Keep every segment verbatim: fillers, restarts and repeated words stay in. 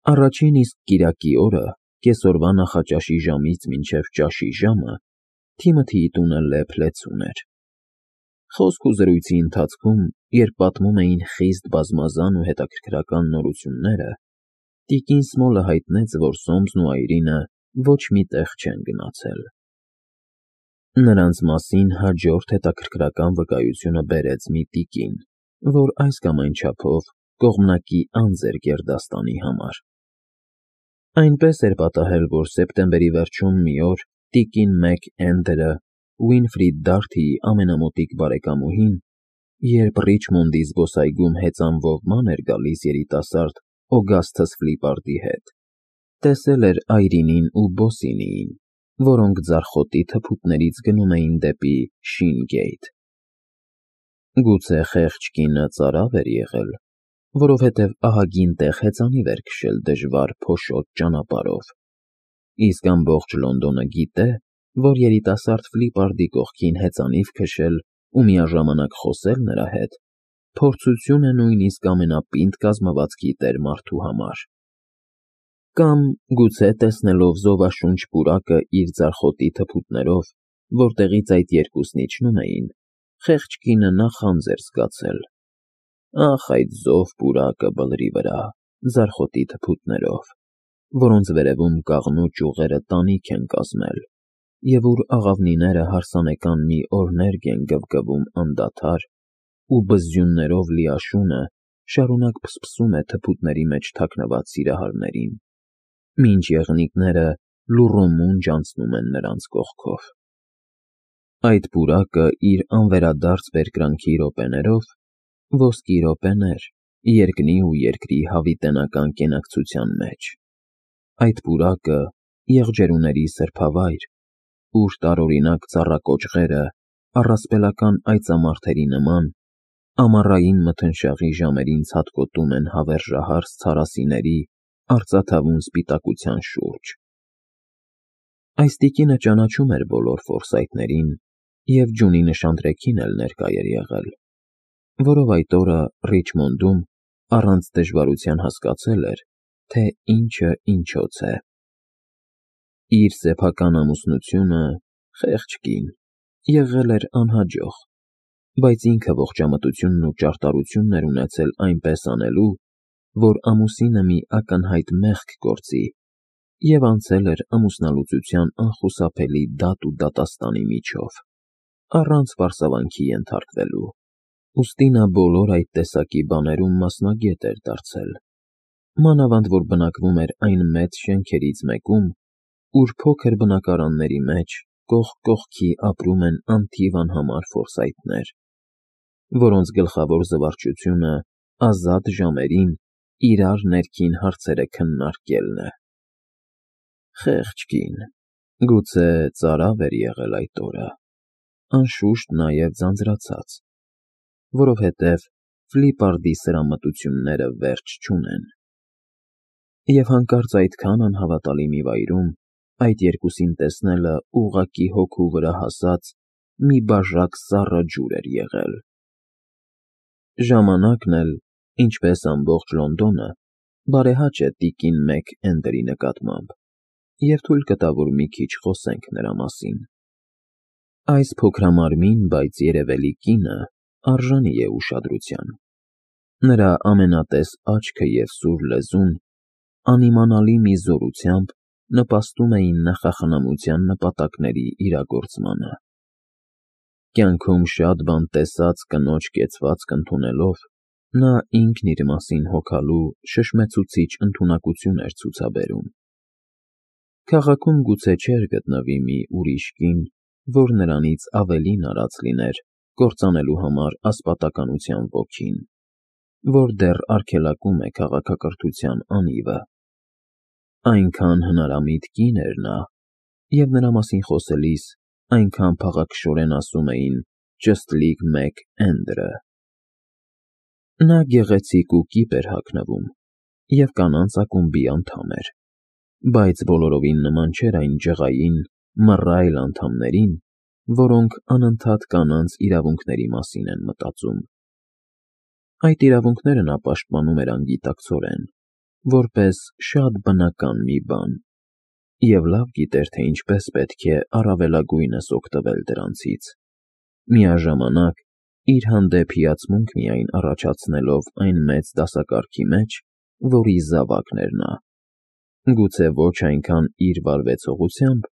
Առաջին իսկ կիրակի օրը, կեսօրվա նախաճաշի ժամից մինչև ճաշի ժամը, Թիմոթիի տունը լեփ-լեցուն էր։ Խոսք ու զրույցի ընթացքում, երբ պատմում էին խիստ բազմազան ու հետաքրքրական նորությունները, տիկին Սմոլը հայտնեց, որ Սոմսն ու Այրինը ոչ մի տեղ չեն գնացել։ Նրանց մասին հաջորդ հետաքրքրական վկայությունը բերեց մի տիկին, որ այս կամ այն չափով կողմնակի անձ էր գերդաստանի համար։ Այնպես էր պատահել, որ սեպտեմբերի վերջում մի օր տիկին Մեկ Էնդերը, Ուինֆրիդ Դարթիի ամենամոտիկ բարեկամուհին, երբ Ռիչմոնդի զբոսայգում հեծանվով ման էր գալիս երիտասարդ Օգասթս Ֆլիպարդի հետ, տեսել էր Այրինին ու Բոսինիին, որոնք ձարխոտի թփուտներից գնում էին դեպի Շին֊Գեյթ։ Գուցե խեղճ կինը ծարավ էր եղել, որովհետև ահագին տեղ հեծանիվ էր քշել դժվար փոշոտ ճանապարհով, իսկ ամբողջ Լոնդոնը գիտե, որ երիտասարդ Ֆլիպարդի կողքին հեծանիվ քշել ու միաժամանակ խոսել նրա հետ փորձություն է նույնիսկ ամենապինդ կազմվածքի տեր մարդու համար։ Կամ գուցե տեսնելով զովաշունչ պուրակը իր ձարխոտի թփուտներով, որտեղից այդ երկուսն իջնում էին, խեղճ կինը նախանձ էր զգացել. ախ, այդ զով պուրակը բլրի վրա, ձարխոտի թփուտներով, որոնց վերևում կաղնու ճյուղերը տանիք են կազմել, և ուր աղավնիները հարսանեկան մի օրներգ են գվգվում անդադար, ու բզզյուններով լի աշունը շարունակ փսփսում է թփուտների մեջ թաքնված սիրահարներին, մինչ եղնիկները լուռումունջ անցնում են նրանց կողքով։ Այդ պուրակը իր անվերադարձ բերկրանքի րոպեներով ոսկի րոպեներ երկնի ու երկրի հավիտենական կենակցության մեջ։ Այդ պուրակը եղջերուների սրբավայր, ուր տարօրինակ ծառակոճղերը առասպելական այծամարդերի նման ամառային մթնշաղի ժամերին ցատկոտում են հավերժահարս ցարասիների արծաթավուն սպիտակության շուրջ։ Այս տիկինը ճանաչում էր բոլոր Ֆորսայթներին և Ջունի նշանտրեքին էլ ներկա էր եղել, որով այդ օրը Ռիչմոնդում առանց դժվարության հասկացել էր, թե ինչը ինչոց է։ Իր սեփական ամուսնությունը, խեղճ կին, եղել էր անհաջող, բայց ինքը ողջամտությունն ու ճարտարությունն էր ունեցել այնպես անելու, որ ամուսինը մի ակնհայտ մեղք գործի, և անցել էր ամուսնալուծության անխուսափելի դատ ու դատաստանի միջով, առանց պարսավանքի ենթարկվելու, ուստի նա բոլոր այդ տեսակի բաներում մասնագետ էր դարձել, մանավանդ որ բնակվում էր այն մեծ շենքերից մեկում, ուր փոքր բնակարանների մեջ կողք կողքի ապրում են անթիվ անհամար Ֆորսայթներ, որոնց գլխավոր զվարճությունը ազատ ժամերին իրար ներքին հարցերը քննարկելն է։ Խեղճ կին, գուցե ծարավ էր եղել այդ օրը, անշուշտ նաև ձանձրացած, որովհետև Ֆլիպարդի սրամտությունները վերջ չունեն։ Եվ հանկարծ այդքան անհավատալի մի վայրում այդ երկուսին տեսնելը ուղղակի հոգու վրա հասած մի բաժակ սառը ջուր էր եղել։ Ժամանակն էլ, ինչպես ամբողջ Լոնդոնը, բարեհաճ է տիկին Մեկ Էնդերի նկատմամբ, և թույլ կտա, որ մի քիչ խոսենք նրա մասին։ Այս փոքրամարմին, բայց երևելի կինը արժանի է ուշադրության։ Նրա ամենատես աչքը և սուր լեզուն անիմանալի մի զորությամբ նպաստում էին նախախնամության նպատակների իրագործմանը։ Կյանքում շատ բան տեսած կնոջ կեցվածք ընդունելով, նա ինքն իր մասին հոգալու շշմեցուցիչ ընդունակություն էր ցուցաբերում։ Քաղաքում գուցե չէր գտնվի մի ուրիշ կին, որ նրանից ավելին արած լիներ կործանելու համար ասպատականության ոգին, որ դեռ արգելակում է քաղաքակրթության անիվը։ Այնքան հնարամիտ կին էր նա, և նրա մասին խոսելիս այնքան փաղաքշորեն ասում էին ճստլիկ Մեկ Էնդերը։ Նա գեղեցիկ ու կիպ էր հագնվում և կանանց ակումբի անդամ էր, բայց բոլորովին նման չէր այն ջղային, մռայլ անդամներին, որոնք անընդհատ կանանց իրավունքների մասին են մտածում։ Այդ իրավունքները նա պաշտպանում էր անգիտակցորեն, որպես շատ բնական մի բան, և լավ գիտեր, թե ինչպես պետք է առավելագույնս օգտվել դրանցից, միաժամանակ իր հանդեպ հիացմունք միայն առաջացնելով այն մեծ դասակարգի մեջ, որի զավակն էր նա, գուցե ոչ այնքան իր վարվեցողությամբ,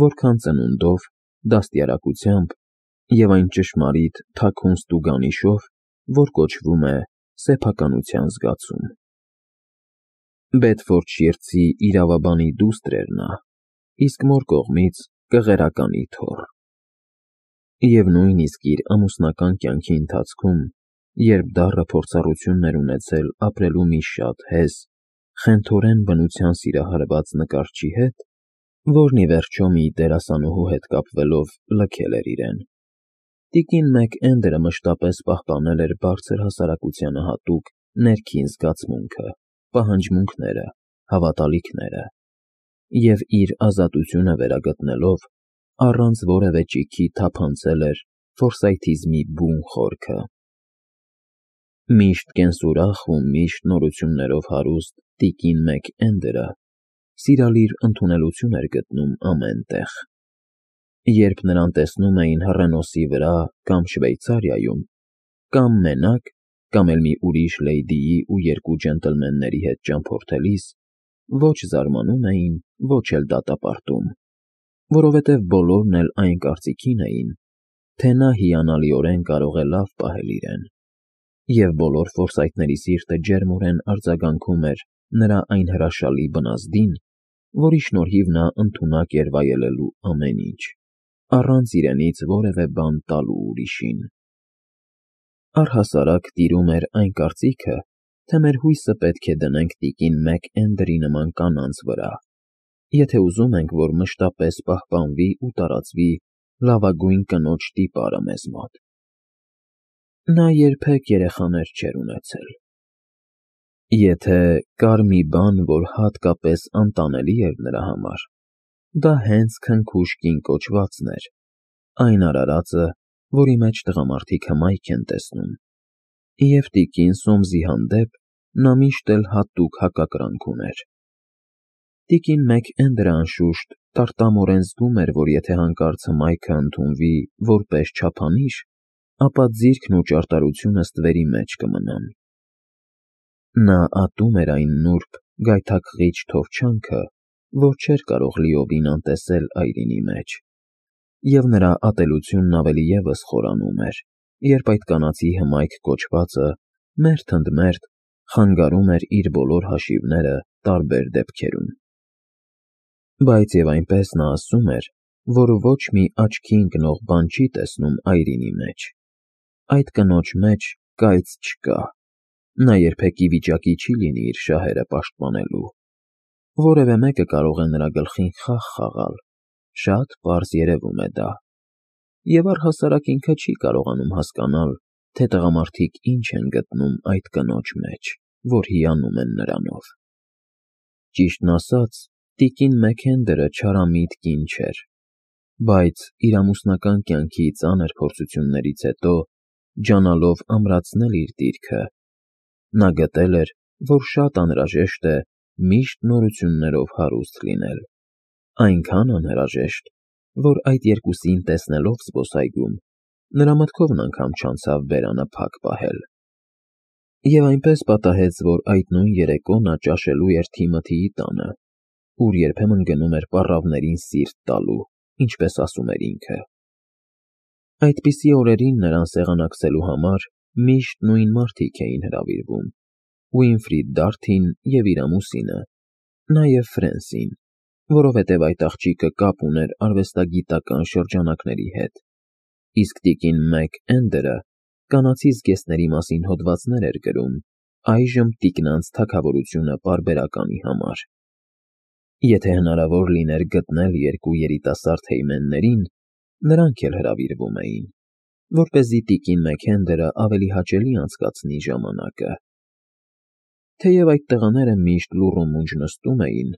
որքան ծնունդով, դաստիարակությամբ և այն ճշմարիտ թաքուն ստուգանիշով, որ կոչվում է սեփականության զգացում։ Բեդֆորդշիրցի իրավաբանի դուստր էր նա, իսկ մոր կողմից կղերականի թոռ։ Եվ նույնիսկ իր ամուսնական կյանքի ընթացքում, երբ դառը փորձառություն էր ունեցել ապրելու մի շատ հեզ, խենթորեն բնության սիրահարված նկարչի հետ, որն ի վերջո մի դերասանուհու հետ կապվելով լքել էր իրեն, տիկին Մակէնդերը մշտապես պահպանել էր բարձր հասարակությանը հատուկ ներքին զգացմունքը, պահանջմունքները, հավատալիքները, և իր ազատությունը վերագտնելով, առանց որևէ ճիգի թափանցել էր ֆորսայթիզմի բուն խորքը։ Միշտ կենսուրախ ու միշտ նորություններով հարուստ տիկին Մակէնդերը սիրալիր ընդունելություն էր գտնում ամեն տեղ։ Երբ նրան տեսնում էին հռենոսի վրա կամ Շվեյցարիայում, կամ մենակ, կամ էլ մի ուրիշ լեյդիի ու երկու ջենտլմենների հետ ճամփորդելիս, ոչ զարմանում էին, ոչ էլ դատապարտում, որովհետև բոլորն էլ այն կարծիքին էին, թե նա հիանալիորեն կարող է լավ պահել իրեն, և բոլոր ֆորսայթների սիրտը ջերմորեն արձագանքում էր նրա այն հրաշալի բնազդին, որի շնորհիվ նա ընդունակ էր վայելելու ամեն ինչ, առանց իրենից որևէ բան տալու ուրիշին։ Առհասարակ տիրում էր այն կարծիքը, թե մեր հույսը պետք է դնենք տիկին Մակէնդերի նման կանանց վրա, եթե ուզում ենք, որ մշտապես պահպանվի ու տարածվի լավագույն կնոջ տիպարը մեզ մոտ։ Նա երբեք երեխաներ չէր ունեցել։ Եթե կար մի բան, որ հատկապես անտանելի էր նրա համար, դա հենց քնքուշ կին կոչվածն էր, այն արարածը, որի մեջ տղամարդիկ հմայք են տեսնում, և տիկին Սոմսի հանդեպ նա միշտ էլ հատուկ հակակրանք ուներ։ Տիկին Մակէնդերը, անշուշտ, տարտամորեն զգում էր, որ եթե հանկարծ հմայքը ընդունվի որպես չափանիշ, ապա ձիրքն ու ճարտարությունը ստվերի մեջ կմնան։ Նա ատում էր այն նուրբ, գայթակղիչ թովչանքը, որ չէր կարող լիովին անտեսել այրինի մեջ, և նրա ատելությունն ավելի ևս խորանում էր, երբ այդ կանացի հմայք կոչվածը մերթ ընդ մերթ խանգարում էր իր բոլոր հաշիվները տարբեր դեպքերում։ Բայց և այնպես նա ասում էր, որ ոչ մի աչքի ընկնող բան չի տեսնում այրինի մեջ։ Այդ կնոջ մեջ կայծ չկա, նա երբեք ի վիճակի չի լինի իր շահերը պաշտպանելու։ Որևէ մեկը կարող է նրա գլխին խաղ խաղալ, շատ պարզ երևում է դա, և առհասարակ ինքը չի կարողանում հասկանալ, թե տղամարդիկ ինչ են գտնում այդ կնոջ մեջ, որ հիանում են նրանով։ Ճիշտն ասած, տիկին Մակէնդերը չարամիտ կին չէր, բայց իր ամուսնական կյանքի ծանր փորձություններից հետո, ջանալով ամրացնել իր դիրքը, նա գտել էր, որ շատ անհրաժեշտ է միշտ նորություններով հարուստ լինել, այնքան անհրաժեշտ, որ այդ երկուսին տեսնելով զբոսայգում, նրա մտքովն անգամ չանցավ բերանը փակ պահել։ Եվ այնպես պատահեց, որ այդ նույն երեկո նա ճաշելու էր Թիմոթիի տանը, ուր երբեմն գնում էր պառավներին սիրտ տալու, ինչպես ասում էր ինքը։ Այդպիսի օրերին նրան սեղանակցելու համար միշտ նույն մարդիկ էին հրավիրվում՝ Ուինֆրիդ Դարթին և իր ամուսինը, նաև Ֆրենսին, որովհետև այդ աղջիկը կապ ուներ արվեստագիտական շրջանակների հետ, իսկ տիկին Մակէնդերը կանացի զգեստների մասին հոդվածներ էր գրում այժմ տիկնանց թագավորությունը պարբերականի համար։ Եթե հնարավոր լիներ գտնել երկու երիտասարդ հեյմեններին, նրանք էլ հրավիրվում էին, որպեսզի տիկին Մակէնդերը ավելի հաճելի անցկացնի ժամանակը։ Թեև այդ տղաները միշտ լուռ ու մունջ նստում էին,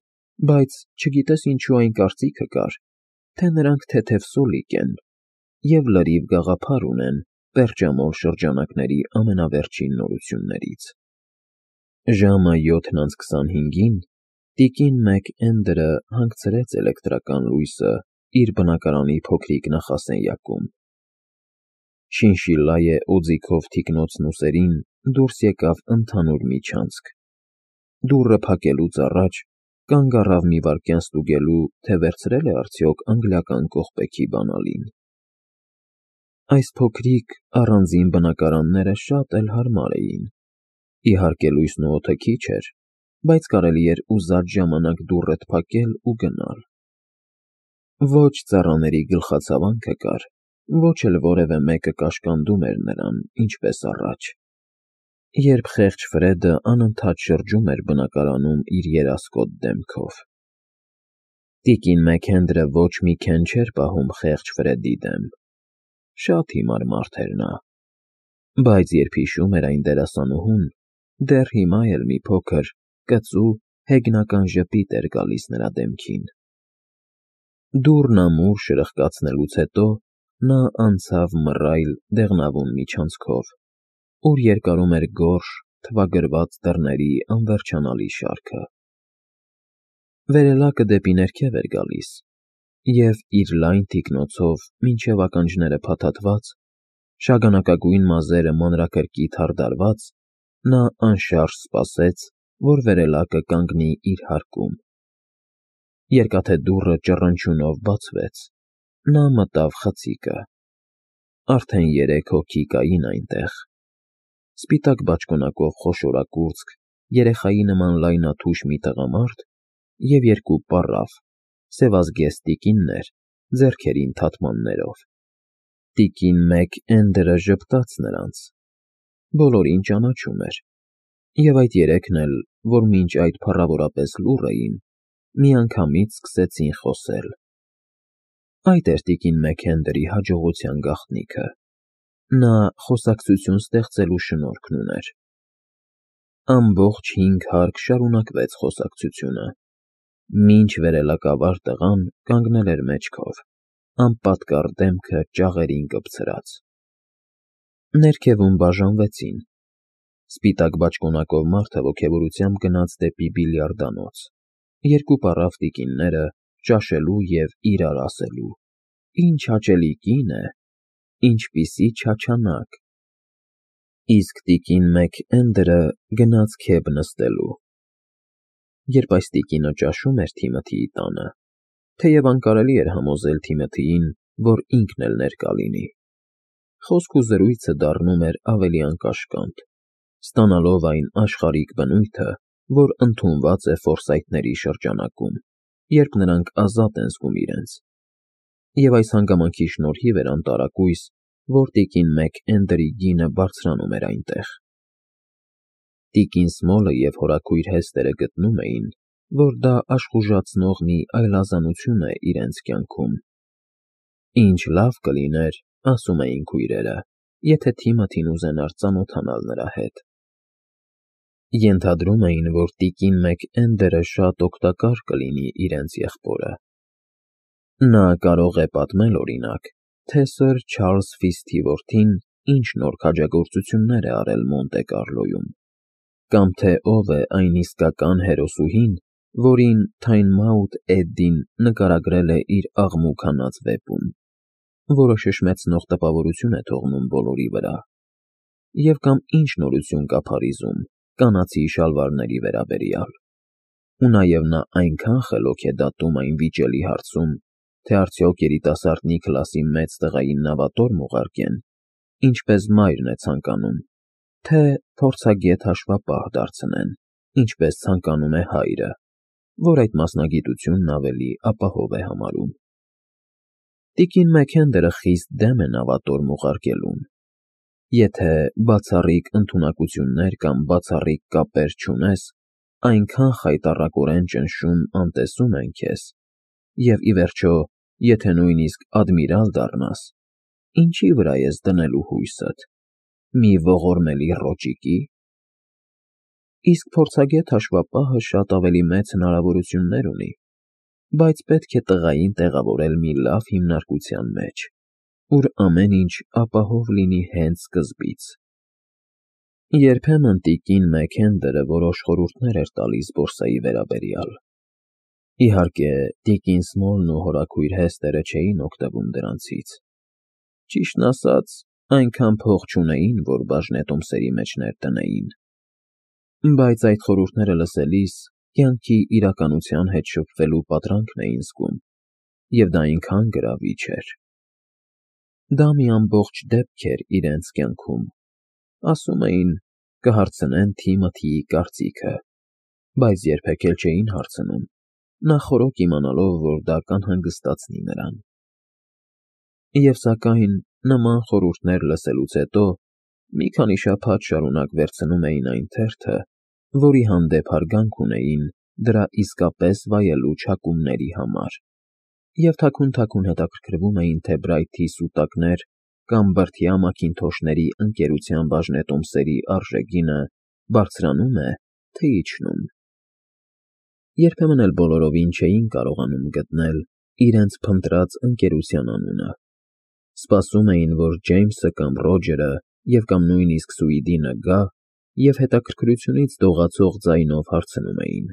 բայց չգիտես ինչու այն կարծիքը կար, թե նրանք թեթև սոլիկ են և լրիվ գաղափար ունեն պերճամոլ շրջանակների ամենավերջին նորություններից։ Ժամը յոթն անց քսանհինգին տիկին Մեք֊Էնդերը հանգցրեց էլեկտրական լույսը իր բնակարանի փոքրիկ նախասենյակում։ Շինշիլլայե օձիքով թիկնոցն ուսերին դուրս եկավ ընդհանուր միջանցք։ Դուռը փակելուց առաջ կանգ առավ մի վայրկյան ստուգելու, թե վերցրել է արդյոք անգլիական կողպեքի բանալին։ Այս փոքրիկ առանձին բնակարանները շատ էլ հարմար էին։ Իհարկե լույսն ու օդը քիչ էր, բայց կարելի էր ուզած ժամանակ դուռդ փակել ու գնալ։ Ոչ ծառաների գլխացավանքը կար, ոչ էլ որևէ մեկը կաշկանդում էր նրան, ինչպես առաջ, երբ խեղճ Ֆրեդը անընդհատ շրջում էր բնակարանում իր երասկոտ դեմքով։ Տիկին Մեք-Էնդերը ոչ մի քեն չէր պահում խեղճ Ֆրեդի դեմ։ Շատ հիմար մարդ էր նա, բայց երբ հիշում էր այն դերասանուհուն, դեռ հիմա էլ մի փոքր, կծու, հեգնական ժպիտ էր գալիս նրա դեմքին։ Դուռն ամուր շրխկացնելուց հետո նա անցավ մռայլ, դեղնավուն միջանցքով, ուր երկարում էր գորշ, թվագրված դռների անվերջանալի շարքը։ Վերելակը դեպի ներքև էր գալիս, և իր լայն թիկնոցով մինչև ականջները փաթաթված, շագանակագույն մազերը մանրակրկիտ հարդարված, նա անշարժ սպասեց, որ վերելակը կանգնի իր հարկում։ Երկաթե դուռը ճռնչյունով բացվեց։ Նա մտավ խցիկը։ Արդեն երեք հոգի կային այնտեղ։ Սպիտակ բաճկոնակով խոշորագուրծք, երեխայի նման լայնաթուշ մի տղամարդ և երկու պառավ, սևազգեստ տիկիններ, ձեռքերին թաթմաններով։ Տիկին Մեք֊Էնդերը ժպտաց նրանց։ Բոլորին ճանաչում էր, և այդ երեքն էլ, որ մինչ այդ փառավորապես լուռ էին, միանգամից սկսեցին խոսել։ Այդ էր տիկին Մեք֊Էնդերի հաջողության գաղտնիքը։ Նա խոսակցություն ստեղծելու շնորհքն ուներ։ Ամբողջ հինգ հարկ շարունակվեց խոսակցությունը, մինչ վերելակավար տղան կանգնել էր մեջքով, անպատկառ դեմքը ճաղերին կպցրած։ Ներքևում բաժանվեցին։ Սպիտակ բաճկոնակով մարդը ոգևորությամբ գնաց դեպի բիլիարդանոց, երկու պառավ տիկինները ճաշելու և իրար ասելու. «Ինչ հաճելի կին է, ինչպիսի չաչանակ»։ Իսկ տիկին Մեք֊Էնդերը գնաց քեֆ նստելու։ Երբ այս տիկինը ճաշում էր Թիմոթիի տանը, թեև անկարելի էր համոզել Թիմոթիին, որ ինքն էլ ներկա լինի, խոսք ու զրույցը դառնում էր ավելի անկաշկանդ, ստանալով այն աշխարհիկ բնույթը, որ ընդունված է ֆորսայթների շրջանակում, երբ նրանք ազատ են զգում իրենց։ Եվ այս հանգամանքի շնորհիվ էր անտարակույս, որ տիկին Մեք֊Էնդերի գինը բարձրանում էր այնտեղ։ Տիկին Սմոլը և հորաքույր Հեսթերը գտնում էին, որ դա աշխուժացնող մի այլազանություն է իրենց կյանքում։ Ինչ լավ կլիներ, ասում էին քույրերը, եթե Թիմոթին ուզենար ծանոթանալ նրա հետ։ Ենթադրում էին, որ տիկին Մեք֊Էնդերը շատ օգտակար կլինի իրենց եղբորը։ Նա կարող է պատմել, օրինակ, թե սըր Չարլզ Ֆիսթի որդին ինչ նոր քաջագործություններ է արել Մոնտե Կարլոյում, կամ թե ով է այն իսկական հերոսուհին, որին Թայնմաութ Էդդին նկարագրել է իր «Աղմուկ հանած» վեպում, որը շշմեցնող տպավորություն է թողնում բոլորի վրա, և կամ ինչ նորություն կա Փարիզում կանացի շալվարների վերաբերյալ։ Ու նաև նա այնքան խելոք է դատում այն վիճելի հարցում, թե արդյոք երիտասարդ Նիքլասի մեծ տղային նավատորմ ուղարկեն, ինչպես մայրն է ցանկանում, թե փորձագետ հաշվապահ դարձնեն, ինչպես ցանկանում է հայրը, որ այդ մասնագիտությունն ավելի ապահով է համարում։ Տիկին Մեք-Էնդերը խիստ դեմ է նավատորմ ուղարկելուն։ Եթե բացառիկ ընդունակություններ կամ բացառիկ կապեր չունես, այնքան խայտառակորեն ճնշում անտեսում են քեզ, և, ի վերջո, եթե նույնիսկ ադմիրալ դառնաս, ինչի՞ վրա ես դնելու հույսդ, մի ողորմելի ռոճիկի՞։ Իսկ փորձագետ հաշվապահը շատ ավելի մեծ հնարավորություններ ունի, բայց պետք է տղային տեղավորել մի լավ հիմնարկության մեջ, ուր ամեն ինչ ապահով լինի հենց սկզբից։ Երբեմն տիկին Մեքենդերը որոշ խորհուրդներ էր տալիս բորսայի վերաբերյալ։ Իհարկե, տիկին Սմոլն ու հորաքույր Հեսթերը չէին օգտվում դրանցից։ Ճիշտն ասած, այնքան փող չունեին, որ բաժնետոմսերի մեջ ներդնեին։ Բայց այդ խորհուրդները լսելիս կյանքի իրականության հետ շփվելու պատրանքն էին զգում, և դա այնքան գրավիչ էր։ Դա մի ամբողջ դեպք էր իրենց կյանքում։ Ասում էին, կհարցնեն Թիմոթիի կարծիքը, բայց երբեք էլ չէին հարցնում, նախօրոք իմանալով, որ դա կանհանգստացնի նրան։ Եվ սակայն նման խորհուրդներ լսելուց հետո մի քանի շաբաթ շարունակ վերցնում էին այն թերթը, որի հանդեպ հարգանք ունեին դրա իսկապես վայելուչ հակումների համար, և թաքուն-թաքուն հետաքրքրվում էին, թե Բրայթի սուտակներ կամ բրդյա մաքինթոշների ընկերության բաժնետոմսերի արժեգինը բարձրանում է, թե իջնում։ Երբեմն էլ բոլորովին չէին կարողանում գտնել իրենց փնտրած ընկերության անունը։ Սպասում էին, որ Ջեյմսը կամ Ռոջերը և կամ նույնիսկ Սուիդինը գա և հետաքրքրությունից դողացող ձայնով հարցնում էին.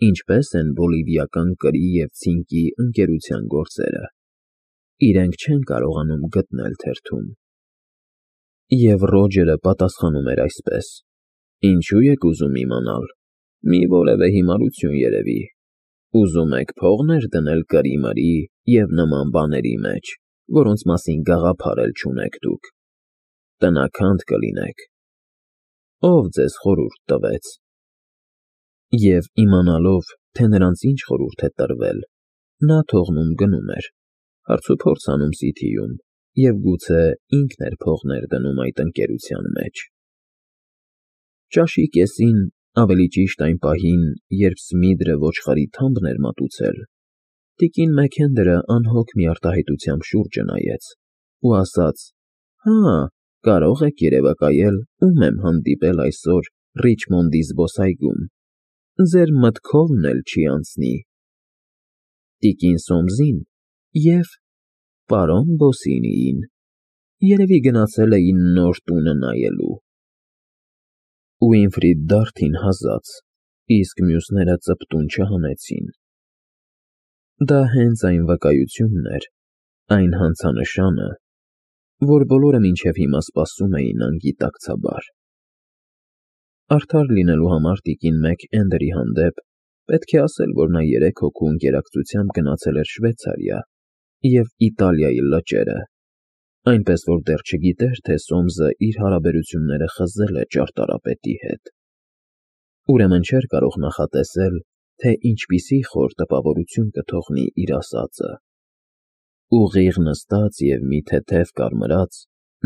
ինչպե՞ս են բոլիվիական կրի և ցինկի ընկերության գործերը։ Իրենք չեն կարողանում գտնել թերթում։ Եվ Ռոջերը պատասխանում էր այսպես. Ինչու եք ուզում իմանալ։ Մի որևէ հիմարություն երևի։ Ուզում եք փող ներդնել կրի֊մրի և նման բաների մեջ, որոնց մասին գաղափար էլ չունեք դուք։ Տնաքանդ կլինեք։ Ո՞վ ձեզ խորհուրդ տվեց։ Եվ իմանալով, թե նրանց ինչ խորհուրդ է տրվել, նա թողնում գնում էր, հարցուփորձ անում Սիթիում և գուցե ինքն էր փող ներդնում այդ ընկերության մեջ։ Ճաշի կեսին, ավելի ճիշտ այն պահին, երբ Սմիդրը ոչխարի թամբն էր մատուցել, տիկին Մեքենդերը անհոգ մի արտահայտությամբ շուրջը նայեց ու ասաց. «Հա, կարող եք երևակայել, ում եմ հանդիպել այսօր Ռիչմոնդի զբոսայգում, ձեր մտքովն էլ չի անցնի։ Տիկին Սոմսին և պարոն Բոսինիին, երևի գնացել էին նոր տունը նայելու»։ Ուինֆրիդ Դարթին հազաց, իսկ մյուսները ծպտուն չհանեցին։ Դա հենց այն վկայությունն էր, այն հանցանշանը, որ բոլորը մինչև հիմա սպասում էին անգիտակցաբար։ Արդար լինելու համար տիկին Մեքէնդերի հանդեպ պետք է ասել, որ նա երեք հոգու ընկերակցությամբ գնացել էր Շվեյցարիա և Իտալիայի լճերը, այնպես որ դեռ չգիտեր, թե Սոմսը իր հարաբերությունները խզել է ճարտարապետի հետ։ Ուրեմն չէր կարող նախատեսել, թե ինչպիսի խոր տպավորություն կթողնի իր ասածը։ Ուղիղ նստած և մի թեթև կարմրած,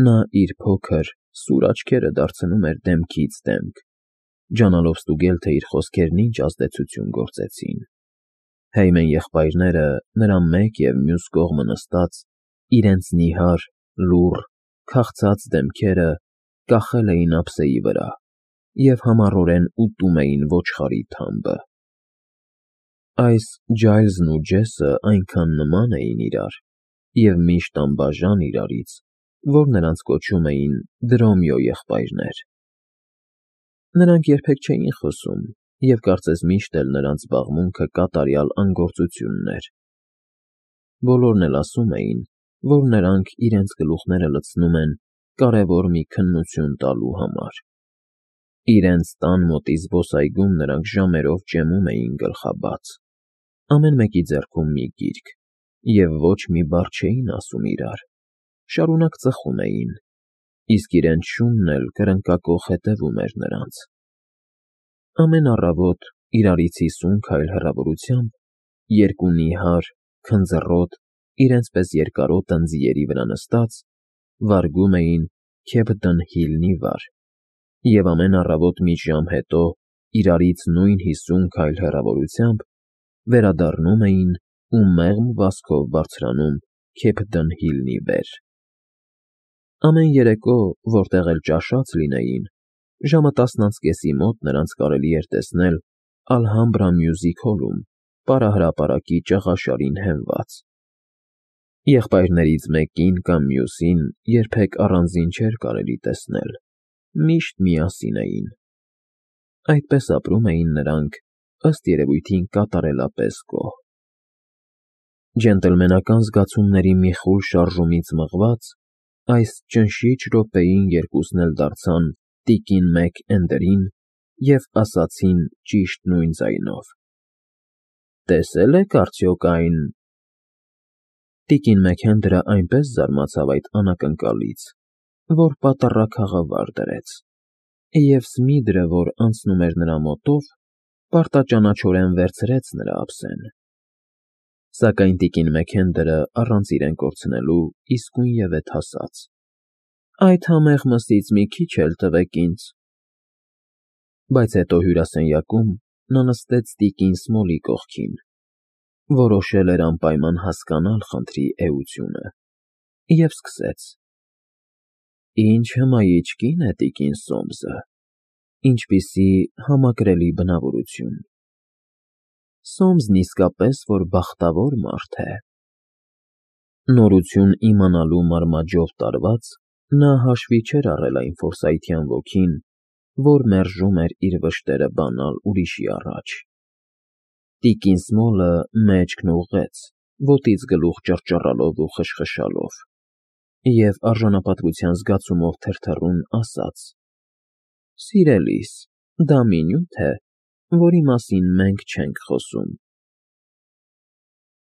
նա իր փոքր, սուր աչքերը դարձնում էր դեմքից դեմք, ջանալով ստուգել, թե իր խոսքերն ինչ ազդեցություն գործեցին։ Հեյմեն եղբայրները նրա մեկ և մյուս կողմը նստած, իրենց նիհար, լուռ, քաղցած դեմքերը կախել էին ափսեի վրա և համառորեն ուտում էին ոչխարի թամբը։ Այս Ջայլզն ու Ջեսը այնքան նման էին իրար և միշտ անբաժան իրարից, որ նրանց կոչում էին Դրոմիո եղբայրներ։ Նրանք երբեք չէին խոսում և կարծես միշտ էլ նրանց զբաղմունքը կատարյալ անգործությունն էր։ Բոլորն էլ ասում էին, որ նրանք իրենց գլուխները լցնում են կարևոր մի քննություն տալու համար։ Իրենց տան մոտի զբոսայգում նրանք ժամերով ճեմում էին գլխաբաց, ամեն մեկի ձեռքում մի գիրք, և ոչ մի բառ չէին ասում իրար, շարունակ ծխում էին, իսկ իրենց շունն էլ կրնկակոխ հետևում էր նրանց։ Ամեն առավոտ, իրարից հիսուն քայլ հեռավորությամբ, երկու նիհար, քնձռոտ, իրենց պես երկարոտ ընձիերի վրա նստած, վարգում էին Քեփդեն Հիլնի վար և ամեն առավոտ մի ժամ հետո, իրարից նույն հիսուն քայլ հեռավորությամբ, վերադառնում էին ու մեղմ վազքով բարձրանում Քեփդեն Հիլնի վեր։ Ամեն երեկո, որտեղ էլ ճաշած լինեին, ժամը տասն անց կեսի մոտ նրանց կարելի էր տեսնել Ալհամբրա Մյուզիք Հոլում պարահրապարակի ճաղաշարին հենված։ Եղբայրներից մեկին կամ մյուսին երբեք առանձին չէր կարելի տեսնել, միշտ միասին էին։ Այդպես ապրում էին նրանք, ըստ երևույթին կատարելապես գոհ։ Ջենտլմենական զգացումների մի խուլ շարժումից մղված, այս ճնշիչ րոպեին երկուսն էլ դարձան տիկին Մեք֊Էնդերին և ասացին ճիշտ նույն ձայնով. «Տեսե՞լ եք արդյոք այն…»։ Տիկին Մեքենդրը այնպես զարմացավ այդ անակնկալից, որ պատառաքաղը վար դրեց, և Սմիդրը, որ անցնում էր նրա մոտով, պարտաճանաչորեն վերցրեց նրա ափսեն։ Սակայն տիկին Մեքենդրը, առանց իրեն կորցնելու, իսկույնևեթ ասաց. «Այդ համեղ մսից մի քիչ էլ տվեք ինձ»։ Բայց հետո հյուրասենյակում նա նստեց տիկին Սմոլի կողքին, որոշել էր անպայման հասկանալ խնդրի էությունը, և սկսեց. «Ինչ հմայիչ կին է տիկին Սոմսը, ինչպիսի համակրելի բնավորություն… Սոմսն իսկապես որ բախտավոր մարդ է»։ Նորություն իմանալու մարմաճով տարված՝ նա հաշվի չէր առել այն ֆորսայթյան ոգին, որ մերժում էր իր վշտերը բանալ ուրիշի առաջ։ Տիկին Սմոլը մեջքն ուղղեց, ոտից գլուխ ճռճռալով ու խշխշալով, և արժանապատվության զգացումով թրթռուն ասաց. «Սիրելիս, դա մի նյութ է, որի մասին մենք չենք խոսում»։